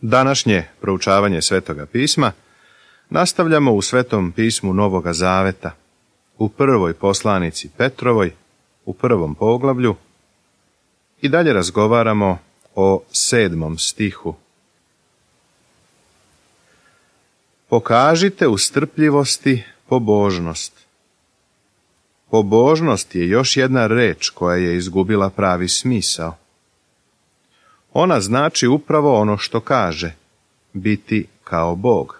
Današnje proučavanje Svetoga pisma nastavljamo u Svetom pismu Novoga Zaveta, u prvoj poslanici Petrovoj, u 1. poglavlju, i dalje razgovaramo o 7. stihu. Pokažite u strpljivosti pobožnost. Pobožnost je još jedna reč koja je izgubila pravi smisao. Ona znači upravo ono što kaže, biti kao Bog.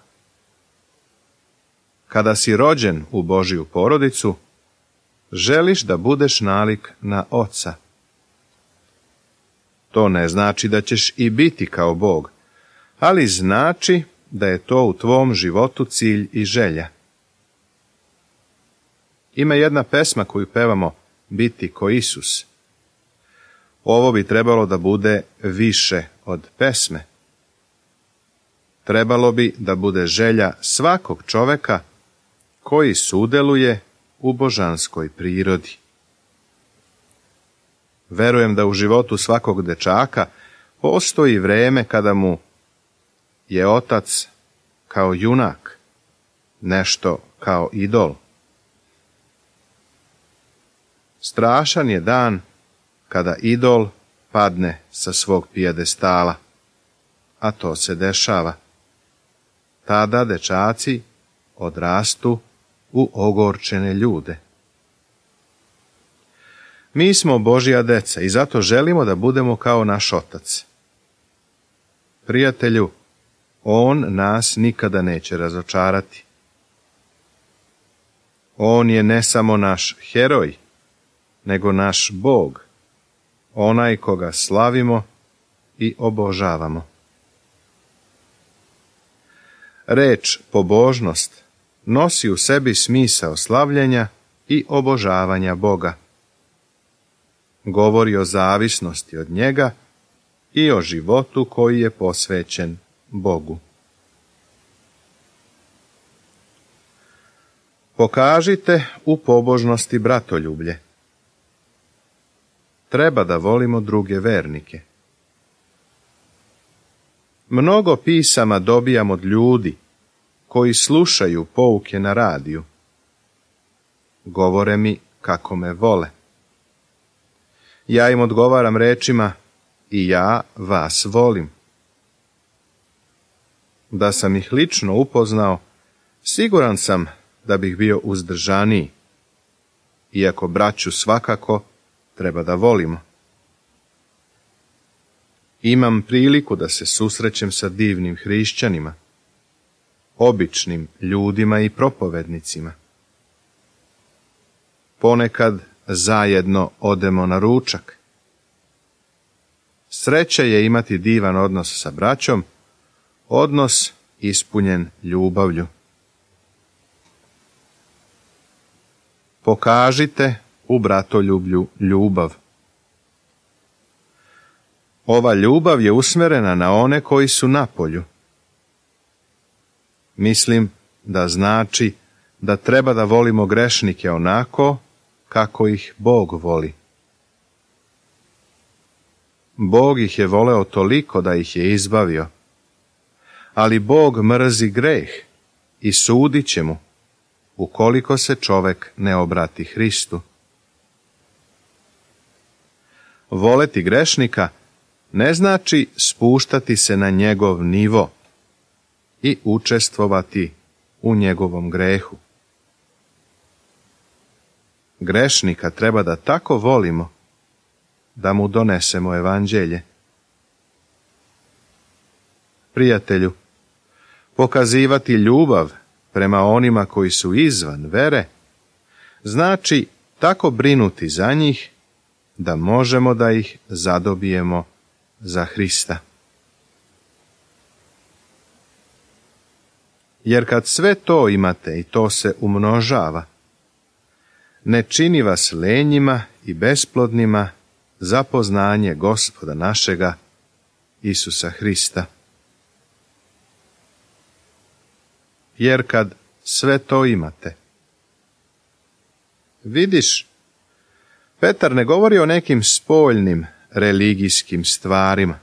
Kada si rođen u Božju porodicu, želiš da budeš nalik na Oca. To ne znači da ćeš i biti kao Bog, ali znači da je to u tvom životu cilj i želja. Ima jedna pesma koju pevamo, biti ko Isus. Ovo bi trebalo da bude više od pesme. Trebalo bi da bude želja svakog čoveka koji sudjeluje u božanskoj prirodi. Verujem da u životu svakog dečaka postoji vreme kada mu je otac kao junak, nešto kao idol. Strašan je dan kada idol padne sa svog pijedestala, a to se dešava. Tada dečaci odrastu u ogorčene ljude. Mi smo Božja deca i zato želimo da budemo kao naš Otac. Prijatelju, On nas nikada neće razočarati. On je ne samo naš heroj, nego naš Bog, onaj koga slavimo i obožavamo. Reč pobožnost nosi u sebi smisao slavljenja i obožavanja Boga. Govori o zavisnosti od njega i o životu koji je posvećen Bogu. Pokažite u pobožnosti bratoljublje. Treba da volimo druge vernike. Mnogo pisama dobijam od ljudi koji slušaju pouke na radiju. Govore mi kako me vole. Ja im odgovaram rečima, i ja vas volim. Da sam ih lično upoznao, siguran sam da bih bio uzdržaniji, iako braću svakako treba da volimo. Imam priliku da se susrećem sa divnim hrišćanima, običnim ljudima i propovednicima. Ponekad zajedno odemo na ručak. Sreća je imati divan odnos sa braćom, odnos ispunjen ljubavlju. Pokažite u bratoljublju ljubav. Ova ljubav je usmjerena na one koji su napolju. Mislim da znači da treba da volimo grešnike onako kako ih Bog voli. Bog ih je voleo toliko da ih je izbavio, ali Bog mrzi greh i sudit će mu ukoliko se čovek ne obrati Hristu. Voleti grešnika ne znači spuštati se na njegov nivo i učestvovati u njegovom grehu. Grešnika treba da tako volimo da mu donesemo evanđelje. Prijatelju, pokazivati ljubav prema onima koji su izvan vere znači tako brinuti za njih da možemo da ih zadobijemo za Hrista. Jer kad sve to imate i to se umnožava, ne čini vas lenjima i besplodnima za poznanje Gospoda našega Isusa Hrista. Jer kad sve to imate, vidiš, Petar ne govori o nekim spoljnim religijskim stvarima.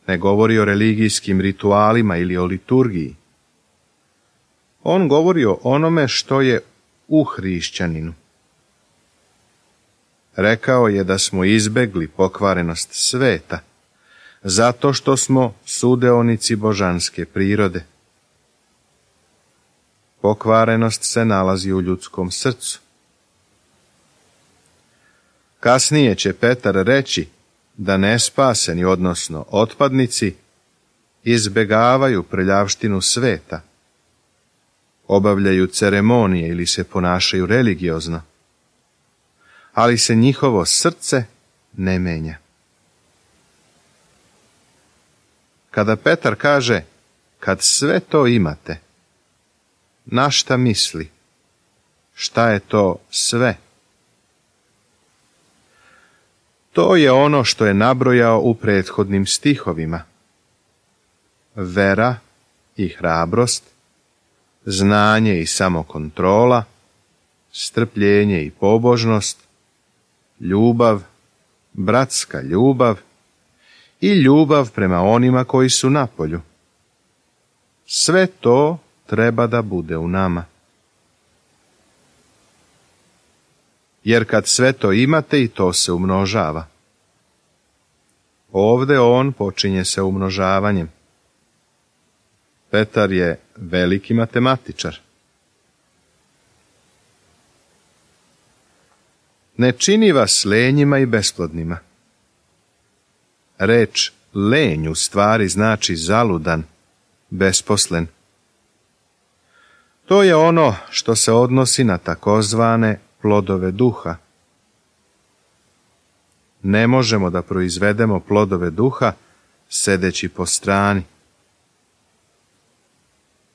ne govori o religijskim ritualima ili o liturgiji. On govori o onome što je u hrišćaninu. Rekao je da smo izbegli pokvarenost sveta, zato što smo sudeonici božanske prirode. Pokvarenost se nalazi u ljudskom srcu. Kasnije će Petar reći da nespaseni, odnosno otpadnici, izbegavaju prljavštinu sveta, obavljaju ceremonije ili se ponašaju religiozno, ali se njihovo srce ne menja. Kada Petar kaže, kad sve to imate, na šta misli? Šta je to sve? To je ono što je nabrojao u prethodnim stihovima. Vera i hrabrost, znanje i samokontrola, strpljenje i pobožnost, ljubav, bratska ljubav i ljubav prema onima koji su napolju. Sve to treba da bude u nama. Jer kad sve to imate i to se umnožava. Ovde on počinje sa umnožavanjem. Petar je veliki matematičar. Ne čini vas lenjima i besplodnima. Reč lenj u stvari znači zaludan, besposlen. To je ono što se odnosi na takozvane plodove duha. Ne možemo da proizvedemo plodove duha sedeći po strani.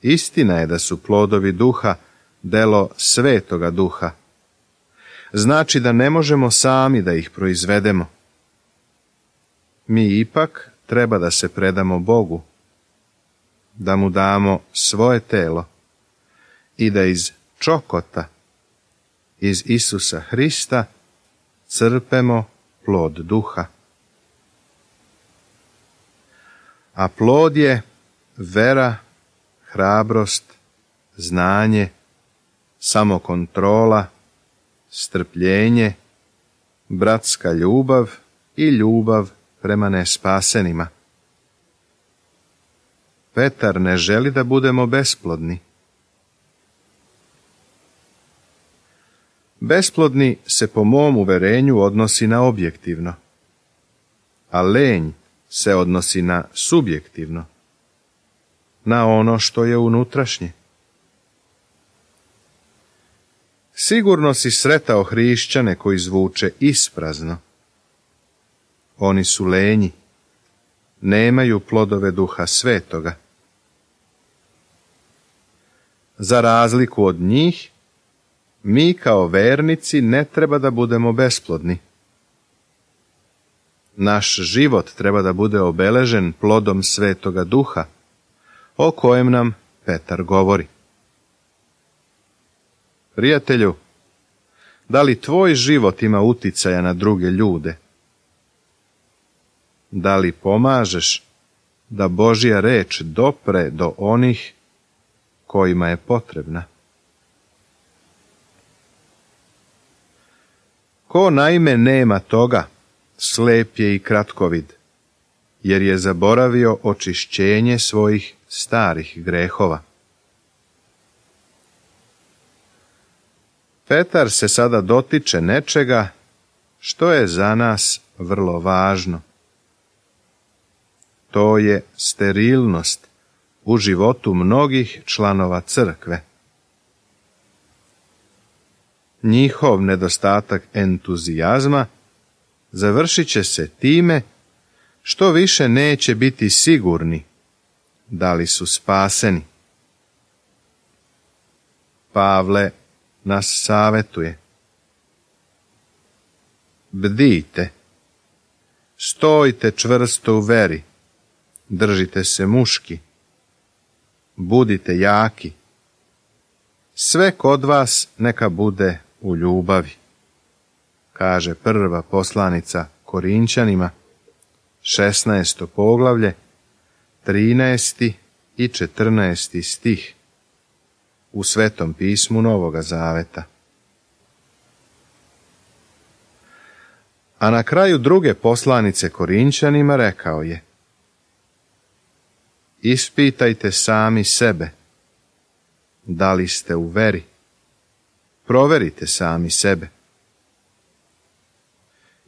Istina je da su plodovi duha delo Svetoga Duha. Znači da ne možemo sami da ih proizvedemo. Mi ipak treba da se predamo Bogu, da mu damo svoje telo i da iz čokota, iz Isusa Hrista, crpemo plod duha. A plod je vera, hrabrost, znanje, samokontrola, strpljenje, bratska ljubav i ljubav prema nespasenima. Petar ne želi da budemo besplodni. Besplodni se po mom uverenju odnosi na objektivno, a lenj se odnosi na subjektivno, na ono što je unutrašnje. Sigurno si sretao hrišćane koji zvuče isprazno. Oni su lenji, nemaju plodove Duha Svetoga. Za razliku od njih, mi kao vernici ne treba da budemo besplodni. Naš život treba da bude obeležen plodom Svetoga Duha, o kojem nam Petar govori. Prijatelju, da li tvoj život ima uticaja na druge ljude? Da li pomažeš da Božja reč dopre do onih kojima je potrebna? Ko naime nema toga, slep je i kratkovid, jer je zaboravio očišćenje svojih starih grehova. Petar se sada dotiče nečega što je za nas vrlo važno. To je sterilnost u životu mnogih članova crkve. Njihov nedostatak entuzijazma završit će se time što više neće biti sigurni da li su spaseni. Pavle nas savetuje. Bdijte, stojte čvrsto u veri, držite se muški, budite jaki. Sve kod vas neka bude u ljubavi, kaže prva poslanica Korinćanima, 16. poglavlje, 13. i 14. stih u Svetom pismu Novoga Zaveta. A na kraju druge poslanice Korinćanima rekao je: Ispitajte sami sebe, da li ste u veri. Proverite sami sebe.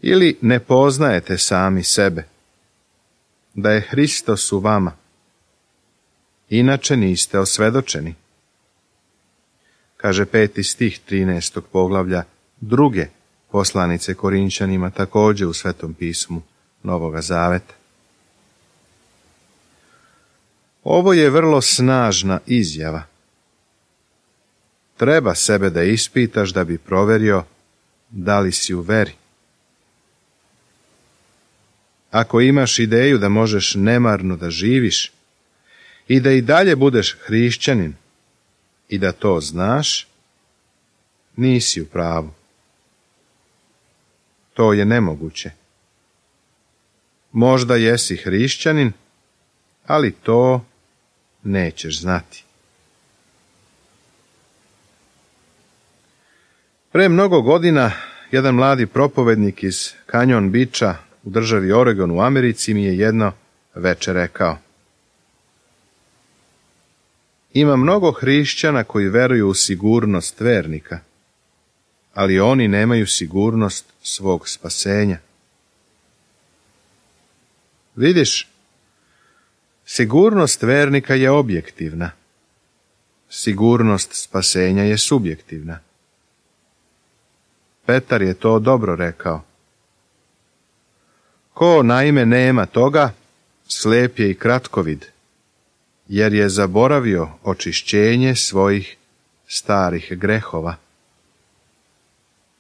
Ili ne poznajete sami sebe, da je Hristos u vama, inače niste osvedočeni. Kaže 5. stih 13. poglavlja druge poslanice Korinćanima, također u Svetom pismu Novoga Zaveta. Ovo je vrlo snažna izjava. Treba sebe da ispitaš da bi proverio da li si u veri. Ako imaš ideju da možeš nemarno da živiš i da i dalje budeš hrišćanin i da to znaš, nisi u pravu. To je nemoguće. Možda jesi hrišćanin, ali to nećeš znati. Pre mnogo godina jedan mladi propovednik iz Canyon Beacha u državi Oregon u Americi mi je jedno veče rekao: Ima mnogo hrišćana koji veruju u sigurnost vernika, ali oni nemaju sigurnost svog spasenja. Vidiš, sigurnost vernika je objektivna. Sigurnost spasenja je subjektivna. Petar je to dobro rekao. Ko naime nema toga, slijep je i kratkovid, jer je zaboravio očišćenje svojih starih grehova.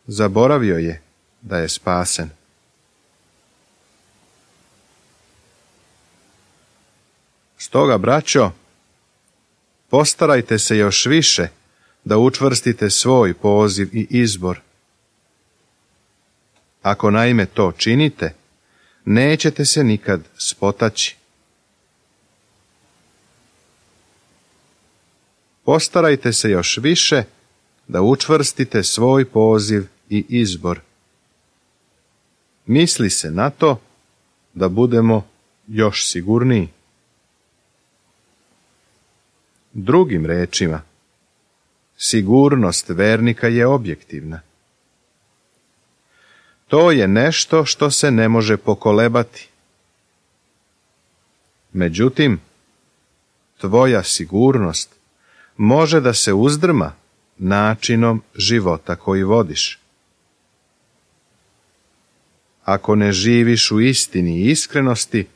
Zaboravio je da je spasen. Stoga, braćo, postarajte se još više da učvrstite svoj poziv i izbor. Ako naime to činite, nećete se nikad spotaći. Postarajte se još više da učvrstite svoj poziv i izbor. Misli se na to da budemo još sigurniji. Drugim rečima, sigurnost vernika je objektivna. To je nešto što se ne može pokolebati. Međutim, tvoja sigurnost može da se uzdrma načinom života koji vodiš. Ako ne živiš u istini i iskrenosti,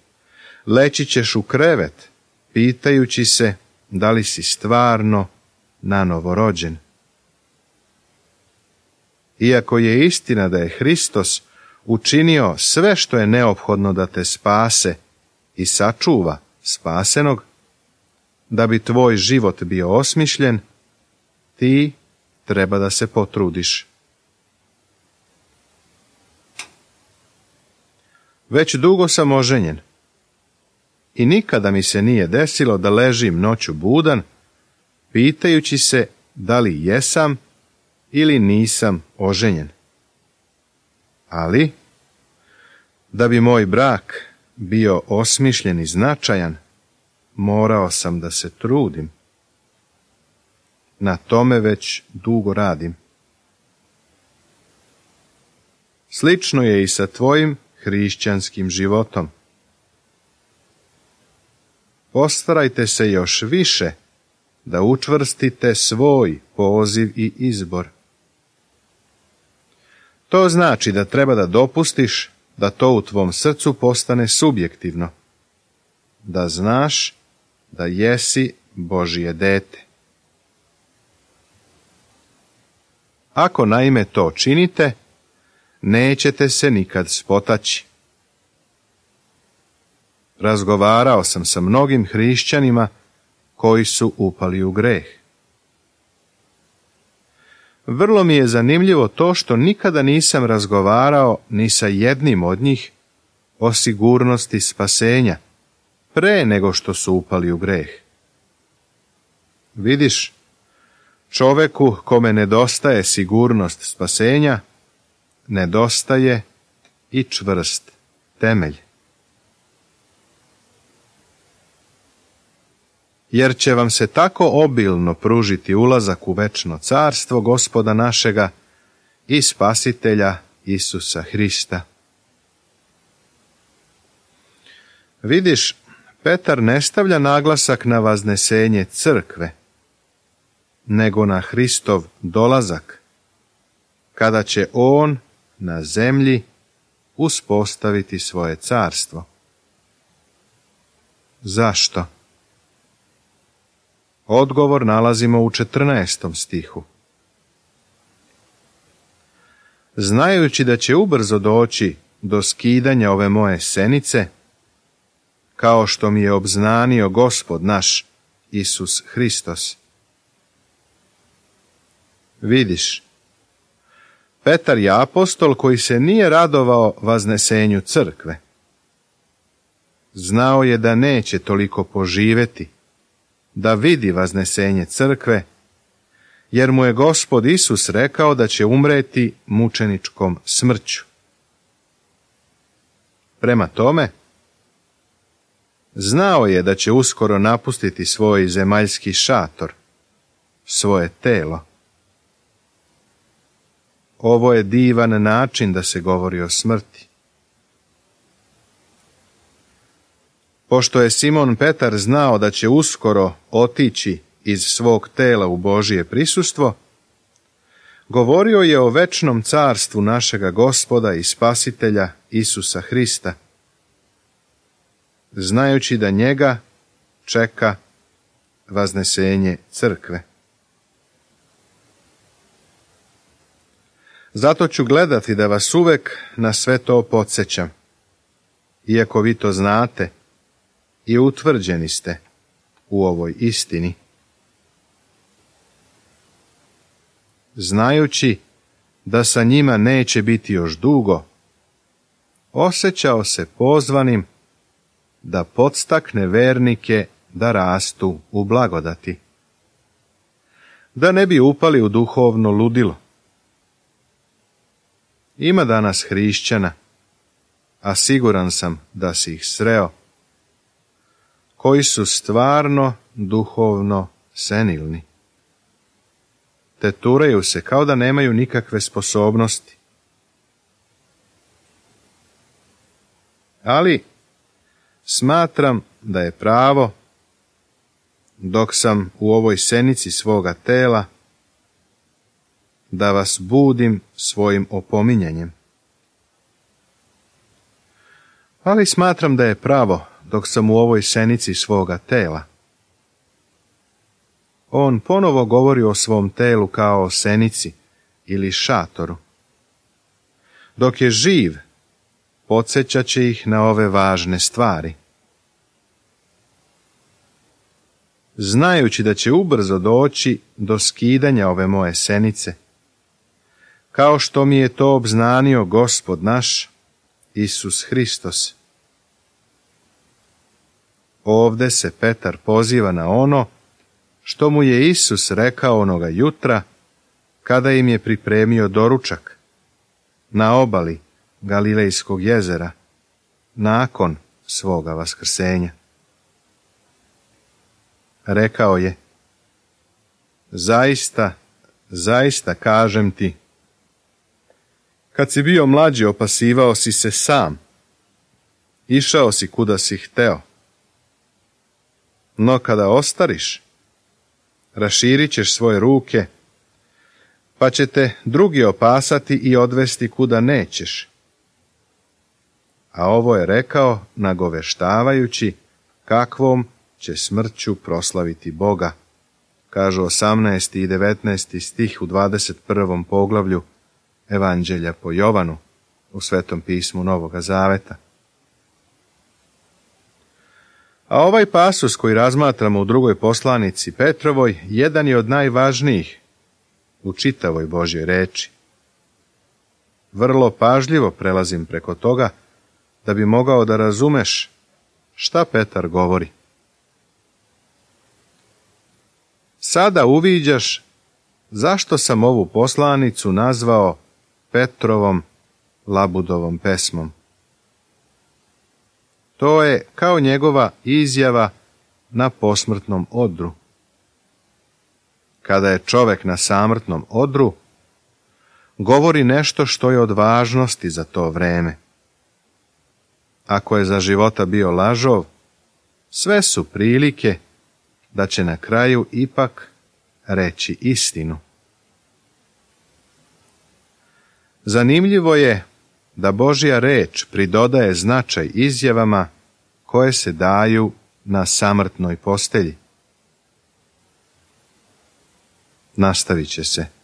leći ćeš u krevet, pitajući se da li si stvarno nanovo rođen. Iako je istina da je Hristos učinio sve što je neophodno da te spase i sačuva spasenog, da bi tvoj život bio osmišljen, ti treba da se potrudiš. Već dugo sam oženjen i nikada mi se nije desilo da ležim noću budan, pitajući se da li jesam ili nisam oženjen. Ali, da bi moj brak bio osmišljen i značajan, morao sam da se trudim. Na tome već dugo radim. Slično je i sa tvojim hrišćanskim životom. Postarajte se još više da učvrstite svoj poziv i izbor. To znači da treba da dopustiš da to u tvom srcu postane subjektivno, da znaš da jesi Božje dete. Ako naime to činite, nećete se nikad spotaći. Razgovarao sam sa mnogim hrišćanima koji su upali u greh. Vrlo mi je zanimljivo to što nikada nisam razgovarao ni sa jednim od njih o sigurnosti spasenja pre nego što su upali u greh. Vidiš, čoveku kome nedostaje sigurnost spasenja, nedostaje i čvrst temelj. Jer će vam se tako obilno pružiti ulazak u večno carstvo Gospoda našega i Spasitelja Isusa Hrista. Vidiš, Petar ne stavlja naglasak na vaznesenje crkve, nego na Hristov dolazak, kada će on na zemlji uspostaviti svoje carstvo. Zašto? Odgovor nalazimo u 14. stihu. Znajući da će ubrzo doći do skidanja ove moje senice, kao što mi je obznanio Gospod naš Isus Hristos. Vidiš, Petar je apostol koji se nije radovao vaznesenju crkve. Znao je da neće toliko poživeti, da vidi vaznesenje crkve, jer mu je Gospod Isus rekao da će umreti mučeničkom smrću. Prema tome, znao je da će uskoro napustiti svoj zemaljski šator, svoje telo. Ovo je divan način da se govori o smrti. Pošto je Simon Petar znao da će uskoro otići iz svog tela u Božije prisustvo, govorio je o večnom carstvu našega Gospoda i Spasitelja Isusa Hrista, znajući da njega čeka vaznesenje crkve. Zato ću gledati da vas uvek na sve to podsjećam, iako vi to znate i utvrđeni ste u ovoj istini. Znajući da sa njima neće biti još dugo, osjećao se pozvanim da podstakne vernike da rastu u blagodati, da ne bi upali u duhovno ludilo. Ima danas hrišćana, a siguran sam da si ih sreo, koji su stvarno duhovno senilni. Teturaju se kao da nemaju nikakve sposobnosti. Ali smatram da je pravo, dok sam u ovoj senici svoga tela, da vas budim svojim opominjanjem. Ali smatram da je pravo, dok sam u ovoj senici svoga tela. On ponovo govori o svom telu kao o senici ili šatoru. Dok je živ, podsjećat će ih na ove važne stvari. Znajući da će ubrzo doći do skidanja ove moje senice, kao što mi je to obznanio Gospod naš, Isus Hristos. Ovde se Petar poziva na ono što mu je Isus rekao onoga jutra, kada im je pripremio doručak na obali Galilejskog jezera, nakon svoga vaskrsenja. Rekao je: zaista, zaista kažem ti, kad si bio mlađi opasivao si se sam, išao si kuda si hteo. No kada ostariš, raširit ćeš svoje ruke, pa će te drugi opasati i odvesti kuda nećeš. A ovo je rekao nagoveštavajući kakvom će smrću proslaviti Boga, kažu 18. i 19. stih u 21. poglavlju Evanđelja po Jovanu u Svetom pismu Novoga Zaveta. A ovaj pasus koji razmatramo u drugoj poslanici Petrovoj jedan je od najvažnijih u čitavoj Božjoj reči. Vrlo pažljivo prelazim preko toga da bi mogao da razumeš Šta Petar govori? Sada uviđaš zašto sam ovu poslanicu nazvao Petrovom labudovom pesmom. To je kao njegova izjava na posmrtnom odru. Kada je čovek na samrtnom odru, govori nešto što je od važnosti za to vreme. Ako je za života bio lažov, sve su prilike da će na kraju ipak reći istinu. Zanimljivo je da Božja reč pridodaje značaj izjavama koje se daju na samrtnoj postelji. Nastavit će se.